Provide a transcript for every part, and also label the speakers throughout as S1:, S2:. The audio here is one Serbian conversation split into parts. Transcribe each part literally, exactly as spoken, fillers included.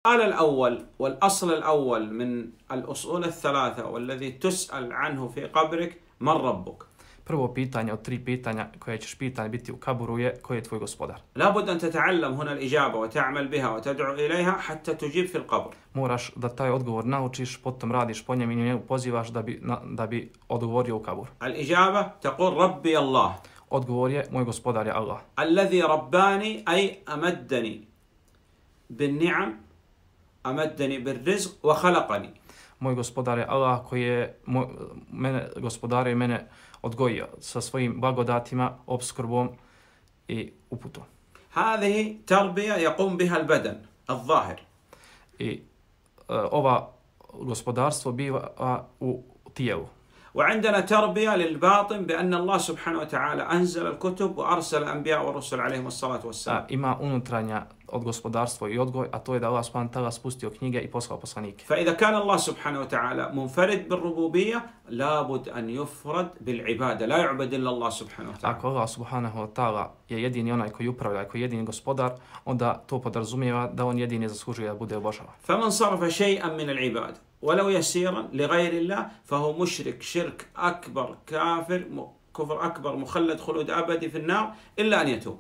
S1: السؤال الأول والأصل الأول من الأصول الثلاثة والذي تسأل عنه في قبرك من ربك؟
S2: Prvo pitanje od tri pitanja koje ćeš pitanje biti u kaburu je koji je tvoj gospodar.
S1: لابد أن تتعلم هنا الإجابة وتعمل بها وتدعو إليها حتى تجيب في القبر.
S2: Moraš da taj odgovor naučiš, potom radiš po njem i njemu pozivaš da bi, na, da bi odgovorio u kaburu.
S1: الإجابة تقول ربي الله.
S2: Odgovor je moj gospodar je Allah.
S1: الذي رباني أي أمدني بالنعم أمدني بالرزق وخلقني.
S2: Moj gospodar je Allah koji je moj, mene gospodar je mene odgojio sa svojim blagodatima, opskrbom i uputom.
S1: هذه تربية يقوم بها البدن الظاهر.
S2: I uh, ova gospodarstvo biva u tijelu.
S1: وعندنا تربية للباطن بأن الله سبحانه وتعالى أنزل الكتب وأرسل الأنبياء والرسل عليهم الصلاة والسلام.
S2: Ima unutranja od gospodarstva i odgoj, a to je da Allah subhanahu wa ta'ala spustio knjige i poslao poslanike.
S1: فإذا كان الله سبحانه وتعالى منفرد بالربوبية لابد أن يفرد بالعبادة لا يعبد إلا الله سبحانه وتعالى.
S2: Ako Allah subhanahu wa ta'ala je jedini onaj koji upravlja, koji je jedini gospodar, onda to podrazumijeva da on jedini zaslužuje da bude obožavan.
S1: فمن صرف شيئا من العبادة ولو يسيرا لغير الله فهو مشرك شرك أكبر كافر كفر أكبر مخلد خلود أبدي في النار إلا أن يتوب.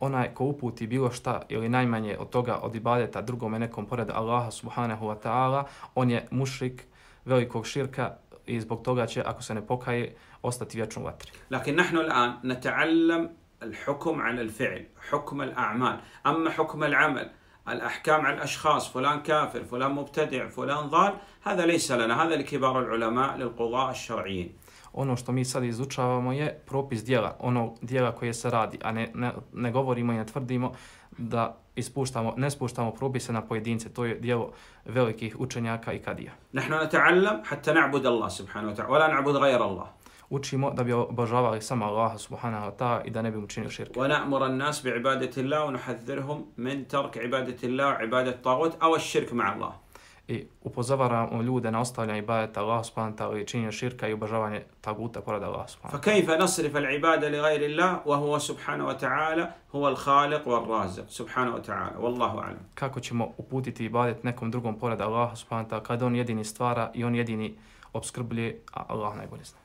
S2: Onaj ko uputi bilo šta ili najmanje od toga od ibadeta drugome nekom pored Allaha subhanahu wa ta'ala, on je mušrik velikog širka i zbog toga će, ako se ne pokaje, ostati vječno u vatri.
S1: لكن نحن الآن نتعلم الحكم على الفعل حكم الأعمال أما حكم العمل الأحكام على الأشخاص فلان كافر فلان مبتدع فلان ضال هذا ليس لنا هذا لكبار العلماء للقضاء الشرعيين.
S2: Ono što mi sad izučavamo je propis dijela, ono dijela koje se radi, a ne, ne, ne govorimo i ne tvrdimo da ispuštamo, ne spuštamo propise na pojedince, to je dijelo velikih učenjaka i kadija.
S1: نحن نتعلم حتى نعبد الله سبحانه وتعالى ولا نعبد غير الله.
S2: Učimo da bi obožavali samo Allaha subhanahu wa ta'ala i da ne bi učinili širk.
S1: ونأمر الناس بعبادة الله ونحذرهم من ترك عبادة الله وعبادة الطاغوت أو الشرك مع الله.
S2: I upozoravamo ljude na ostavljanje ibadeta Allaha subhanahu wa ta'ala i činjenje širka i obožavanje taguta pored Allaha subhanahu wa ta'ala.
S1: فكيف نصرف العبادة لغير الله وهو سبحانه وتعالى هو الخالق والرازق سبحانه وتعالى والله أعلم.
S2: Kako ćemo uputiti ibadet nekom drugom pored Allaha subhanahu wa ta'ala kad on jedini stvara i on jedini opskrbljuje, a Allah najbolje zna.